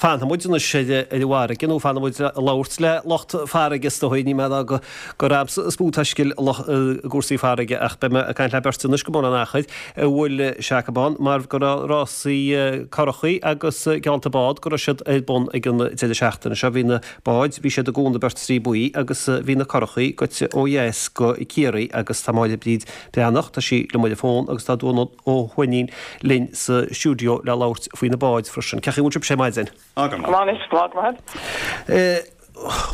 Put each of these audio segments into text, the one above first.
Fanfaidh muid anois ar an bhfarraige, nó fanfaidh muid ag labhairt le lucht farraige is dóigh, ní mé a rá gur a'msa is mó taistil i gcúrsaí farraige ach beidh mé ag caint le beirt anois go mbun an achair a bhfuil sé acu ann mar go raibh rásaí curachaí agus geallta bád go raibh siad ar bun ag an deireadh seachtaine seo. Bhí na báid, bhí siad i gCuan na Beirtrí Buí agus bhí na curachaí goite ó dheas go Ciarraí agus tá Máire Bríd Breathnach, tá sí liom ar an bhfón agus tá Dónal Ó hUaithnín linn sa stiúideo le labhairt faoi na báid freisin. Cén chaoi a bhfuil sibhse ar maidin? Go maith, go maith, go maith.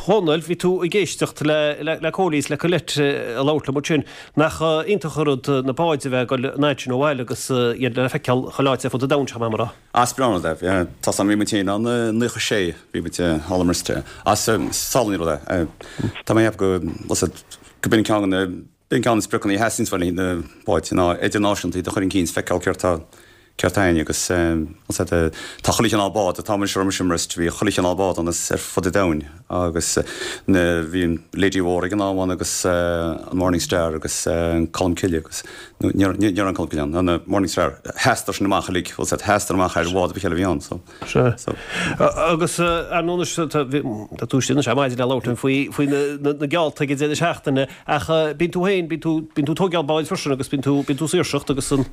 Dhónaill, bhí tú ag éisteacht le Cóilí is le Colette ag labhairt liom ansin. Nach iontach an rud na báid a bheith ag dul an fhad sin ó bhaile agus iad le feiceáil chuile áit ar fud an domhain, seo mar a rá. Is breá an rud é. Tá 's a'm, bhí muid féin ann i 96, bhí muid thall i mBristol. Is álainn an rud é. Tá mé ag ceapadh go, go b'in ceann de na, B'in ceann de na spriocanna a theastaíonn uainn le haghaidh na báid ná idirnáisiúnta iad a chur chun cinn is feiceáil céard tá céard tá againn agus tá chuile chineál bád an t-am a raibh mise i mBrest bhí chuile chineál bád ann as ar fud an domhain agus na bhí an Lady Mhór ag an am ann agus an Morning Star agus an Colmcille agus nó ní ní raibh an Colmcille ann an Morning Star sheasadar sin amach uilig bhfuil 's a'd sheasadar amach ar bhád ar bith eile a bhí ann so. Sea. Agus ar ndóigh anois, tá tú istigh anois ar maidin le labhairt linn faoi, faoi na geallta ag an deireadh seachtaine, ach bíonn tú féin, bíonn tú, bíonn tú ag tógáil báid freisin agus bíonn tú, bíonn tú ag saoirseacht agus an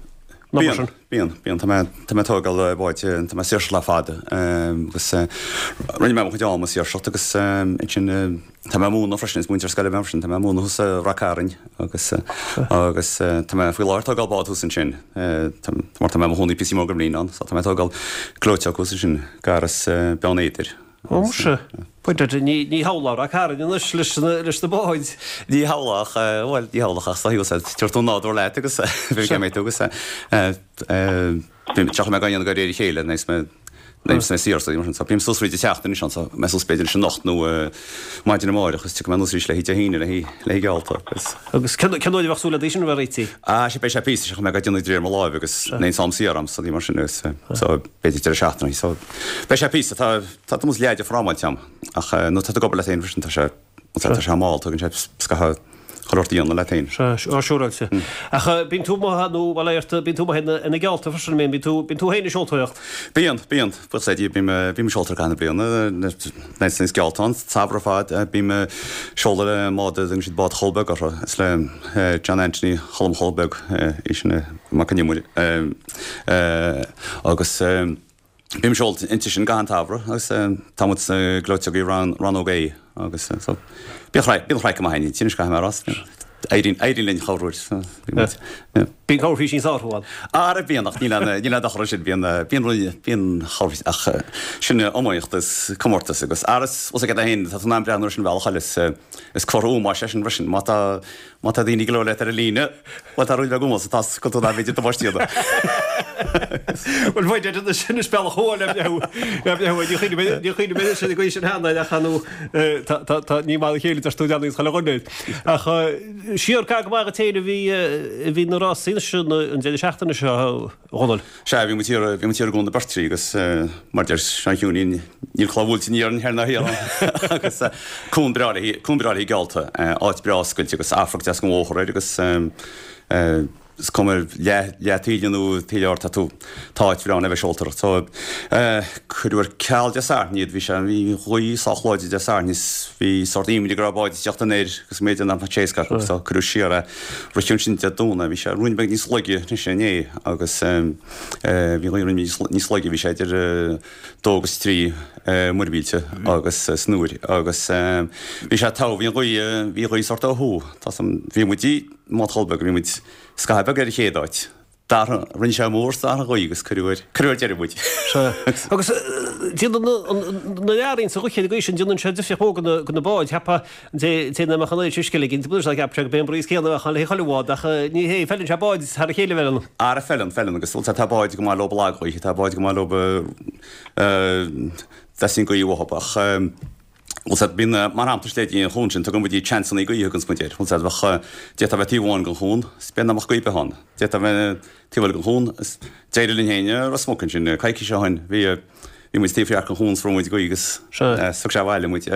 obair sin. Bíonn, bíonn, bíonn. Tá mé, tá mé ag tógáil báid, tá mé ag saoirseacht le fada agus rinne mé mo chuid ama ag saoirseacht agus ansin tá mé ag múineadh freisin, is múinteoir scoile mé freisin, tá mé ag múineadh thuas i Rath Cairn agus agus tá mé faoi láthair ag tógáil bád thuas ansin mar tá mé i mo chónaí píosa mór den bhliain ann so tá mé ag tógáil gleoiteog thuas ansin gar as Beann Éadair. Ó muise, pointe, ní ní shamhlófá Rath Cairn anois leis na leis na báid. Ní shamhlófá, bhuel ní shamhlófá ach tá tabharfaidh tú an nádúr leat agus bhí mé tú agus Bím, seachas mé gan dhéanamh de réir a chéile, níos mé, níos mé saor, so, so bím suas fríd an tseachtain anois anso, mé suas b'fhéidir anois anocht nó maidin amáireach agus tiocfaidh mé anuas arís le haghaidh Dé hAoine, le haghaidh, le haghaidh geallta agus. Agus cén, cén uair a bheadh súil agat í sin a bheith réitithe? Ah, sea, beidh sé píosa, seachas mé ag déanamh de réir mo láimhe agus níl aon am saor a'm, so ní mar sin agus, so b'fhéidir deireadh seachtaine, so beidh sé píosa, tá, tá tús leath de frámáilte a'm ach nuair atá tú ag obair leat féin freisin tá sé, Tá sé mall, tugann sé scaitheamh chuile shórt a dhéanamh leat féin. Sea, á siúráilte. Ach bíonn tú amuigh nó, bhuel, airte, bíonn tú amuigh ar na geallta freisin, an mbíonn? Bíonn tú, bíonn tú féin ag seoltóireacht? Bíonn, bíonn. Buíochas le Dia, bím, bím ag seoltóireacht i gcaitheamh na bliana, nuair is geallta ann, samhradh ar fad, bím ag seoladh le an mbád a dtugann siad bád Cholm Beag orthu. Is le John Anthony Cholm Cholm Beag é sin, Mac an Iomaire, agus. Bím ag seoladh inti sin gach aon tsamhradh agus tá muid sna gleoiteogaí rannóg A agus so bíonn craic bíonn craic go maith againn inti anois caithfidh mé a rá. Éiríonn éiríonn linn corruair so bíonn muid yeah. Bíonn corrphísín sa árthach ann. Ara bíonn ach níl aon níl aon dochar ansin bíonn bíonn rudaí bíonn corrphíosín ach sin iomaíocht is comórtas agus ara is bhfuil a fhios agat féin tá tú in ann breathnú ar sin bhealach eile is is comhartha ómóis é sin freisin má tá Má tá daoine ag labhairt leat ar an líne, bhuel tá rud beag ómóis tá go tú b'fhéidir damáiste a dhéanamh. Bhuel bhuel deir na sin is bealach amháin le breithiú le breithiú ní chuimhne mé ní chuimhne mé sin ag aois an sheanair ach nó tá tá tá ní mar a chéile deir tú leanaí chuile dhuine. Ach siar go maith duit féin a bhí a bhí na rásaí anois an deireadh seachtaine seo. Dhónaill. Sea, bhí muid thiar, bhí muid thiar i gCuan na Beirtrí agus mar deir Seán Chiúinín, níl cloch bhuailte aniar thoir ná thiar ann agus cuan breá le, cuan breá le geallta, áit breá oscailte agus amharc deas den bhóthar air agus is cuma leath, leath taoille nó taoille ard tá tú, tá áit bhreá ann le bheith ag seoltóireacht. So cuireadh ar ceal Dé Sathairn iad, bhí sé, bhí an ghaoth sách láidir Dé Sathairn is bhí sórt imní go raibh báid ag teacht anoir agus go mb'fhéidir nach mbeadh sé éasca acu so cuireadh siar é. Ritheadh ansin Dé Domhnaigh, bhí sé ruainne beag níos laige anois inné agus bhí an ghaoth ruainne níos laige, bhí sé idir 2 agus 3 muirmhílte agus san uair agus bhí sé togha, bhí an ghaoth, bhí an ghaoth sórt ó thuaidh, tá san, bhí muid i mbád Cholm Beag, bhí muid scaitheamh beag ar an chéad áit. D'athraigh, rinne sé mór is d'athraigh an ghaoth agus cuireadh ar, cuireadh ar deireadh muid. Sea. Agus déanann na learaí sa ghaoth ar an gcaoi sin, déanann sé difríocht mhór do na báid. Cheapfá an té té nach mbeadh an oiread sin scil aige, cheap sé go b'é an breeze céanna a bheadh ann le chuile bhád ach ní hé, feileann sé báid thar a chéile a bheith ann. Ara feileann, feileann agus bhuel tá báid go maith leo lag-ghaoithe, tá báid go maith leo dteastaíonn gaoth uathu ach bhuel sea, bíonn, mar shampla, is léi an chuan sin, tugann muid chanceanna gaoithe thuganns muid air. Bhuel sea, bheadh, d'fhéadfá bheith taobh amháin den chuan, is b'fhéidir nach mbeadh gaoth ar bith ann. D'fhéadfá bheith taobh eile den chuan, is d'éirigh linn féin i Ros Muc ansin, coicís ó shin, bhí, bhí muid taobh thiar den chuan is fuair muid gaoth agus thug sé abhaile muid.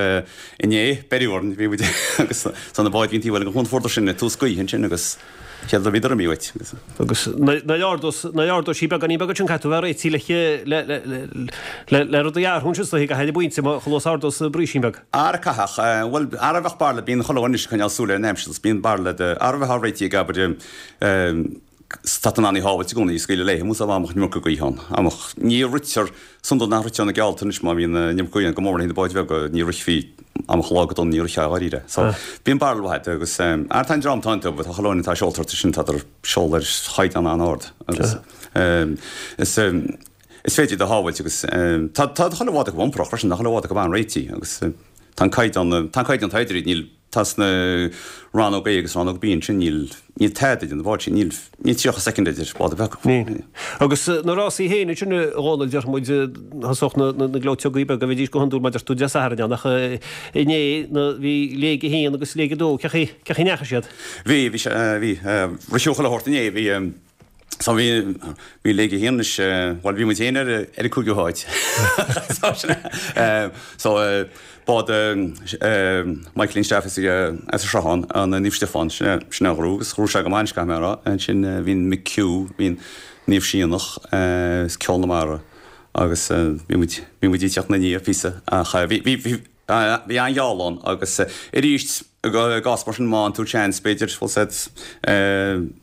Inné, beireadh orainn, bhí muid agus so na báid a bhí an taobh eile den chuan, fuaireadar sin tús gaoithe ansin agus. Céard a bhíodar imithe uait? Agus nuair a ardós sí beagáinín beag ansin caithfidh tú a bheith réitithe le le le rudaí a athrú ansin is dóichí go haill an bpointe chomh luath is a ardós brísín beag. Ara caithfidh, bhuel, ara bheadh barla, bíonn chuile dhuine anois ag coinneáil súil ar an aimsir agus bíonn barla de, ara bheifeá réitithe ag abair tá tú in ann í shábhailt i gcónaí, scaoileadh léi, más dá mbeadh an iomarca gaoithe ann. Amach, ní ritear, is iondúil nach ritear na geallta anois má bhíonn an iomarca gaoithe ann, go mór mór na báid bheaga, ní rithfí amach lá go dona, ní rithfeá dháiríre. So, bíonn barla mhaith agat agus, ara tá an dream atá iontu, tá chuile dhuine atá ag seoltóireacht ansin, tádar ag seoladh ar chaighdeán an-ard agus is, is féidir iad a shábhailt agus tá, tá chuile bhád acu iomparach freisin, tá chuile bhád acu an-réitithe agus tá an caighdeán, tá an caighdeán atá idir iad, níl, Tá sna rannóg A agus rannóg B ansin, níl, níl tada idir na báid sin, níl, níl 30 soicind idir bád ar bith acu. Níl. Agus na rásaí féin ansin, a Dhónaill, déarfaidh muid, thosódh na, na, na gleoiteogaí beaga, bheidís go hiondúil mar a deir tú Dé Sathairn ann, ach inné, na, bhí léig a haon agus léig a dó, cén chaoi, cén chaoi a ndeachaigh siad? Bhí, bhí sé, bhí, ritheadh chuile shórt inné, bhí, So bhí, bhí léig a haon anois, bhuel bhí muid féin ar, ar an cúigiú háit. So sin é. So bád Michaelín Staff as as an Sruthán, an Naomh Stiofán, sin é, sin é a ghnóthaigh agus ghnóthaigh sé go maith anois caithfidh mé a rá. Ansin bhí an McHugh, bhí an Naomh Síonach, is Ceol na Mara agus bhí muid, bhí muid ag teacht ina ndiaidh píosa ach bhí, bhí, bhí, bhí an-gheall ann agus arís i gcás mar sin má fhaigheann tú seans b'fhéidir, bhfuil a fhios agat,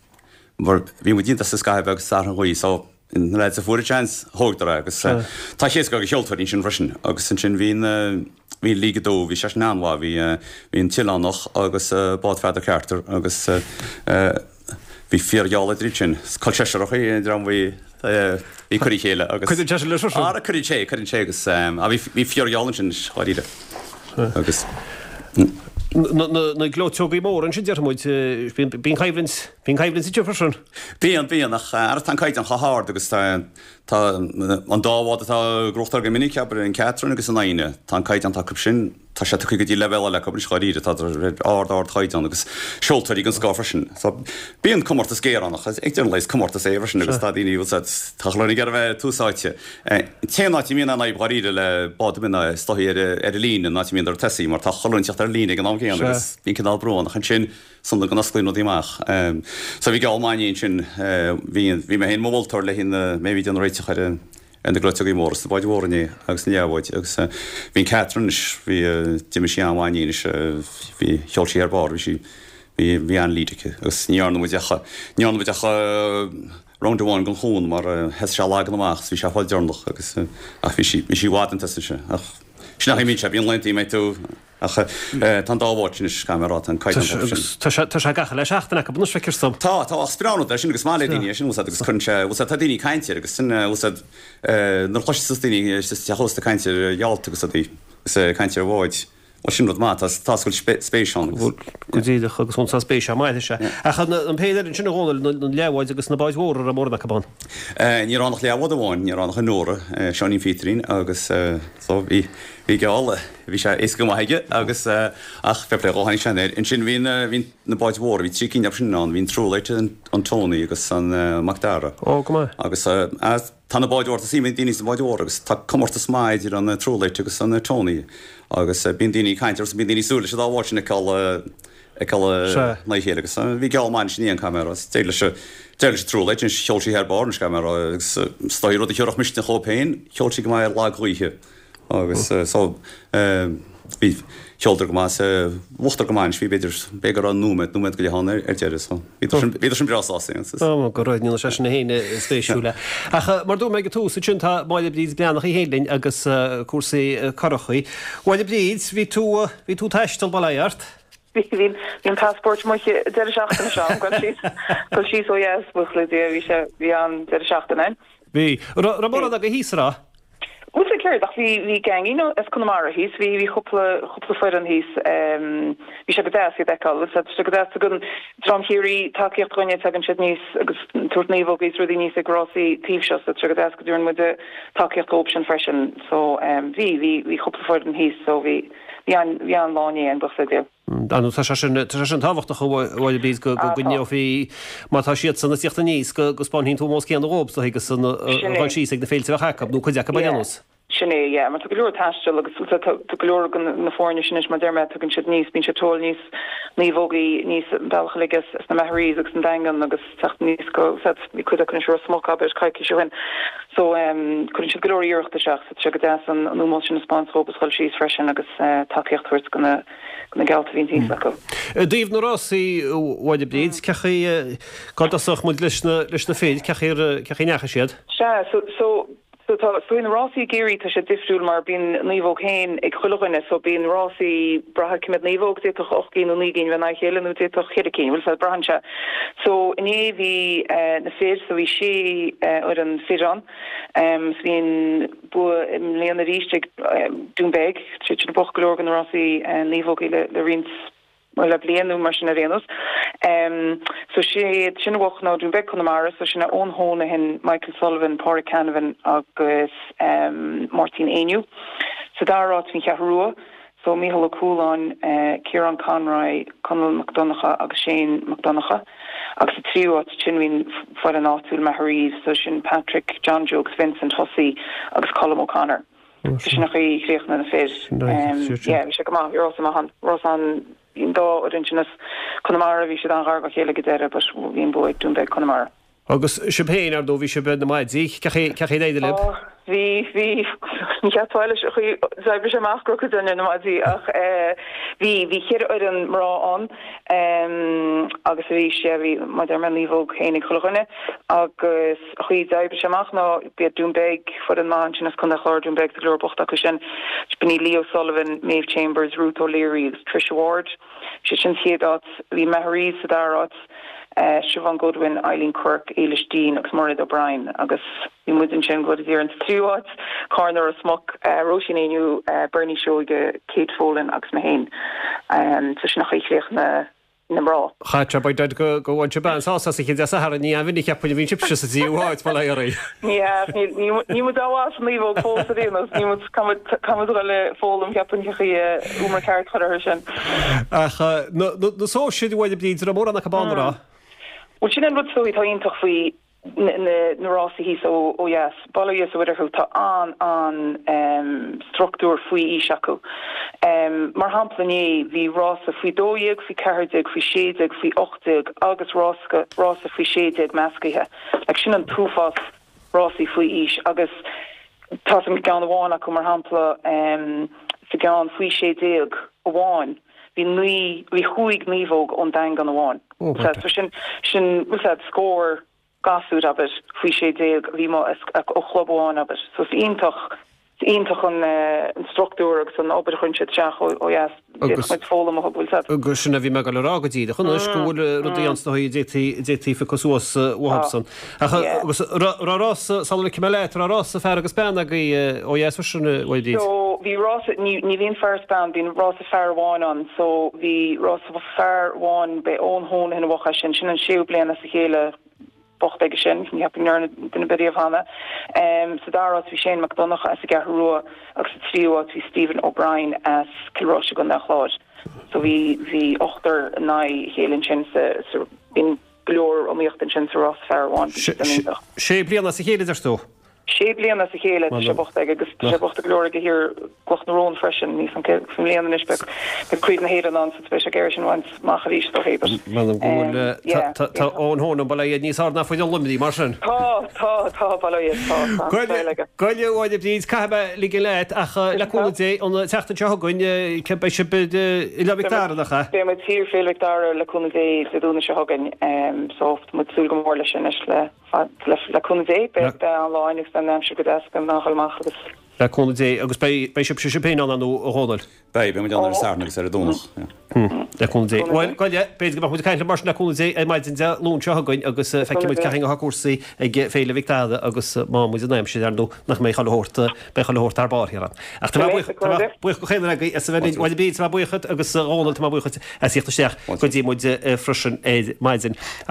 Mar bhí muid iontach sa scaitheamh agus thar an ghaoth so na lads a fuair an seans, thógadar é agus tá sé éasca do sheoltóirí ansin freisin agus ansin bhí na, bhí League 2, bhí sé sin an-mhaith, bhí, bhí an tOileánach agus Bád Pheadar Carter agus bhí fíorgheall idir iad sin. Is col seisearach é an dream bhí, bhí cur a chéile agus. Cuireann sé sin leis freisin. Ara cuireann sé, cuireann sé agus bhí, bhí fíorgheall ansin dáiríre agus. Na gleoiteogaí móra ansin déarfaidh muid, bíonn coimhlint, bíonn coimhlint ansin freisin. Bíonn, bíonn, ach ara tá an caighdeán chomh hard agus tá, tá an dá bhád atá ag gnóthachtáil go minic, abair, an Catherine agus an Fhoighne, tá an caighdeán atá acu sin, tá sé tugtha go dtí leibhéal eile acu anois dháiríre, tá ar ard, ardchaighdeán agus seoltóirí den scoth freisin. So, bíonn comórtas géar ann ach ag deireadh an lae is comórtas é freisin agus tá daoine, bhfuil a fhios agat, tá chuile dhuine ag iarraidh a bheith tús áite. An t-aon áit a mbíonn an fhadhb dháiríre le bád ar bith ná is dóichí ar an líne, an áit a mbíonn ar tosaí, mar tá chuile dhuine ag teacht ar an líne ag an am céanna agus bíonn cineál brú ann ach ansin is iondúil go n-osclaíonn rudaí amach. So bhí geall maith inné ansin, bhí bhí mé féin i mo mholtóir le na, mé a bhí ag déanamh réiteach ar ar na gleoiteogaí móra is na báid mhóra inné agus na leathbháid agus bhí an Catherine anois, bhí, d'imigh sí an-mhaith inné anois, bhí, sheol sí ar barr, bhí sí, bhí, bhí an-lead aici agus ní dhearna muid ach, ní dhearna muid ach, round amháin den chuan mar thosaigh sé ag lagan amach is bhí sé ag fáil deireanach agus ach bhí sí bhí sí i bhfad chun tosaigh ansin ach sin an chaoi a mbíonn sé bíonn laethanta a mbeidh tú ach tá an dá bhád sin anois caithfidh mé a rá tá an caighdeán acu sin. Tá sé tá sé gach uile seachtain acu anois feictear dom. Tá tá ach is breá an rud é sin agus maith le daoine é sin bhfuil a fhios agat agus cuireann sé bhfuil a fhios agat tá daoine ag caint air agus sin bhfuil a fhios agat nuair a chloiseas daoine sa teach ósta ag caint ar gheallta agus rudaí agus ag caint ar bháid Bhuel, sin rud maith, tá tá go bhfuil spéis ann agus. Go díreach, agus tá spéis ann, maith is ea. Ach an péire eile ansin a Dhónaill, na leathbháid agus na báid mhóra, raibh mórán acu ann? Ní raibh ann ach leathbhád amháin, ní raibh ann ach an Nóra, Seáinín Phíotarín agus so bhí bhí geall, bhí sé éasca go maith aige agus ach fair play dhó, tháinig sé air. Ansin bhí na bhí na báid mhóra, bhí trí cinn acu sin ann, bhí an Truelight, an Tony agus an Mac Dara. Ó, go maith. Agus Tá na báid mhóra, tá suim ag daoine sna báid mhóra agus tá comórtas maith idir an Truelight agus an Tony agus bíonn daoine ag caint agus bíonn daoine ag súil leis an dá bhád sin a fheiceáil a fheiceáil in aghaidh a chéile agus bhí geall maith ansin inné caithfidh mé a rá. D'éirigh leis an d'éirigh leis an Truelight anois sheol sí thar barr anois caithfidh mé a rá agus is dóigh rud a thiúrfadh misneach dhóibh féin sheol sí go maith ar lag-ghaoithe. Agus so bhí, sheoladar go maith, bhuachadar go maith anois, bhí b'fhéidir, b'fhéidir go raibh nóiméad, nóiméad go leith ann ar deireadh so bhíodar sin, bhíodar sin breá sásta. Ó, go raibh, níl sé sin féin spéisiúil. Ach mar dúirt mé ag an tús ansin tá Máire Bríd Breathnach í féin linn agus cúrsaí curachaí. Mháire Bríd, bhí tú, bhí tú ag taisteal, bail ó Dhia ort? Bhí, bhí an passport amuigh an deireadh seachtaine seo, gabh síos, gabh síos ó dheas, buíochas le Dia, bhí sé, bhí an-deireadh seachtaine ann. Bhí. Raibh mórán agaibh thíos, an raibh? Bhuel sea céard ach bhí bhí gangín as Conamara thíos, bhí bhí cúpla cúpla foireann thíos bhí sé go deas iad a fheiceáil, bhuel tá sé go deas tugann dream Chiarraí tacaíocht dhúinne tagann siad aníos agus tabhairt naomhógaí is rudaí aníos ag rásaí taobh seo so tá sé go deas go dtabharann muide tacaíocht dhóibh sin freisin so bhí bhí bhí cúpla foireann thíos so bhí bhí an bhí an-lá inné againn buíochas le Dia. Ar ndóigh tá sé sin, tá sé sin tábhachtach a Mháire Bríd go gcoinneofaí, má tá siadsan ag tíocht aníos, go spáinfíonn tú an nós céanna dhóibh, is dóigh, agus a dhul síos ag na féilte a bheadh acu, nó cuid acu ar aon nós. Sin é, yeah, mar tá go leor taistil agus tá go leor de na foirne sin anois, mar a deir mé, tagann siad aníos, bíonn siad ag tógáil aníos naomhógaí aníos an bealach uilig as na Magherays agus an Daingean agus teacht aníos go, bhí cuid acu anois i Ros Muc, abair, coicís ó shin. So, cuireann siad go leor iarracht isteach so tá sé go deas an ómós sin a 'speáint dhóibh agus dhul síos freisin agus tacaíocht a thabhairt go na go na geallta a bhíonn thíos acu. I dtaobh na rásaí, a Mháire Bríd, cén chaoi, cá dtosódh muid leis na leis na fir, cén chaoi cén chaoi a ndeachaigh siad? Sea, so, so, So tá, so na rásaí i gCiarraí tá sé difriúil mar bíonn naomhóg féin ag chuile dhuine so bíonn rásaí brath ar cé mhéad naomhóg, d'fhéadfadh 8 gcinn nó 9 gcinn bheith in aghaidh a chéile nó d'fhéadfadh cheithre cinn, bhfuil 'fhios a'd, braitheann sé. So inné bhí na fir, so bhí sé fhoireann fir ann, so bhí an bua i mbliana arís ag Dún Beag, siad sin ag buachan go leor de na rásaí naomhógaí le le roinnt bhuel le bliain nó mar sin ar aon nós. So siad sin a bhuach ná Dún Beag Conamara, so sin é Eoin Honohan, Michael Sullivan, Pádraig Canavan agus Máirtín Éinniú. Sa dara háit bhí an Cheathrú Rua, so Mícheál Ó Cualáin, Ciarán Conroy, Conall Mac Donncha agus Shane Mac Donncha. Agus sa tríú háit sin bhí an foireann áitiúil Magherays, so sin Patrick, John Joe agus Vincent Hussey agus Colm O'Connor. Sin an chaoi a chríochnaigh na fir. Yeah, bhí sé go maith, bhí rása maith ann. Rása an, bhí an dá fhoireann sin as Conamara, bhí siad an-ghar dá chéile ag an deireadh but bhí an bua ag Dún Beag Conamara. Agus sibh féin, ar ndóigh, bhí sibh ar na maidí, cén chaoi, cén chaoi ar éirigh libh? Ó, bhí, bhí, ní cheapfá leis an chaoi a d'oibrigh sé amach go raibh cuid againn ar na maidí ach eh bhí, bhí cheithre fhoireann mná ann em agus arís, yeah, bhí, mar a deir mé, naomhóg féin ag chuile dhuine agus, An chaoi a d'oibrigh sé amach ná b'iad Dún Beag, foireann maith ansin as Contae an Chláir, Dún Beag, tá go leor buachta acu sin. B'in iad Lee O'Sullivan, Maeve Chambers, Ruth O'Leary agus Tricia Ward. Siad sin sa chéad áit. Bhí Magherays sa dara háit, Siobhán Goodwin, Eileen Quirke, Éilis Deane agus Mairéad O'Brien agus bhí muid ansin go deireadh sa tríú háit, Cárna Ros Muc, Róisín Éinniú, Bernie Seoige, Kate Folan agus mé féin. So sin an chaoi a chríochnaigh na mná. Chaith by dad go go bhain sibh an-sásamh as an chéad Dé Sathairn, ní an-mhinic cheapfainn a bhíonn sibhse sa tríú háit, bail ó Dhia oraibh. Ní hea, níl muid an-mhaith sa naomhóg fós ar aon nós, níl muid, caithfidh muid a dhul ag foghlaim cheapfainn cén chaoi umar ceart a chur orthu sin. Ach na sóisir, a Mháire Bríd, raibh mórán acu ann, an raibh? Bhuel sin an rud is dóigh atá iontach faoi na rásaí thíos ó dheas, bail ó Dhia is a Mhuire orthu, tá an-an-struchtúr faoi aois acu. Mar shampla inné bhí rása faoi 12, faoi 14, faoi 16, faoi 18 agus rása faoi 16 meascaithe. Like sin an t-uafás rásaí faoi aois agus tá sa gceann amháin acu mar shampla sa gceann faoi 16 amháin bhí naoi, bhí chúig naomhóg ón Daingean amháin. So sin, sin, bhfuil 's a'd, scór gasúr, abair, faoi 16 a bhí amuigh ó chlub amháin, abair. So is iontach, is iontach an, an struchtúr agus an obair a chuireann siad isteach ó dheas. D'fhéadfadh muid foghlaim uathu, bhfuil 's a'd. Agus sin a bhí mé ag dul a rá go díreach anois, go bhfuil rudaí ann is dóigh a d'fhéadfaí, a d'fhéadfaí piocadh suas uathubsan. Ach, agus, raibh rása, sula ligfidh mé leat, raibh rása fear agus bean agaibh ó dheas freisin, a Mháire Bríd? So, bhí rása, ní, ní bhíonn fear is bean, bíonn rása fear amháin ann. So, bhí rása fear amháin, b'é Eoin Honohan a bhuaigh é sin, sin an séú bliain as a chéile buachta aige sin, ní cheapaim go ndearna duine ar bith riamh cheana. Sa dara háit bhí Shane Mac Donncha as an gCeathrú Rua agus sa tríú háit bhí Stephen O'Brien as Cill Rois i gContae an Chláir. So bhí, bhí ochtar in aghaidh a chéile ansin sa, sa, bíonn go leor iomaíochta ansin sa rás fear amháin, bhí sé an-iontach. Sé bliana as a chéile, deir tú? Sé bliana as a chéile tá sé buachta aige agus tá sé buachta go leor aige thiar i gCloch na Rón freisin. Níl 's a'm cé i mbliana anois beidh beidh Craobh na hÉireann ann so beidh sé ag iarraidh sin a bhaint amach arís dó féin but M'anam go bhfuil eh, yeah, tá tá Eoin Honohan bail ó Dhia níos fearr ná foireann Luimnigh mar sin. Tá, tá, tá, bail ó Dhia, tá, tá an saol aige. Gabh i leith a Mháire Bríd, caithfidh mé ligean leat ach eh, le cúnamh Dé an tseachtain seo chugainn eh, ce- beidh sibh i Oileán Mhic Dara nach ea? Beidh muid thiar Féile Mhic Dara le cúnamh Dé Dé Domhnaigh seo chugainn so tá muid ag súil go mór leis sin anois le Le cúnamh Dé, beidh an-lá againn agus beidh an aimsir go deas, beidh muid in ann dhul amach agus. Le cúnamh Dé, agus beidh sibhse sibh féin ann, ar ndóigh, a Dhónaill? Beidh, beidh muid ann ar an Satharn agus ar an Domhnach. Le cúnamh Dé. Bhuel, gabh i leith, b'fhéidir go mbeadh muid ag caint libh mar sin le cúnamh Dé ar maidin Dé Luain seo chugainn agus feicfidh muid cén chaoi atá cúrsaí ag Féile Mhic Dara agus má muid in aimsir, ar ndóigh, nach mbeidh chuile shórt, beidh chuile shórt thar barr thiar ann. Ach tá mé buíoch, tá mé buíoch de chaon duine agaibh as a bheith linn. Bhuel, Bríd, tá mé buíoch duit agus a Dhónaill, tá mé buíoch duit as theacht isteach go dtí muid freisin ar maidin.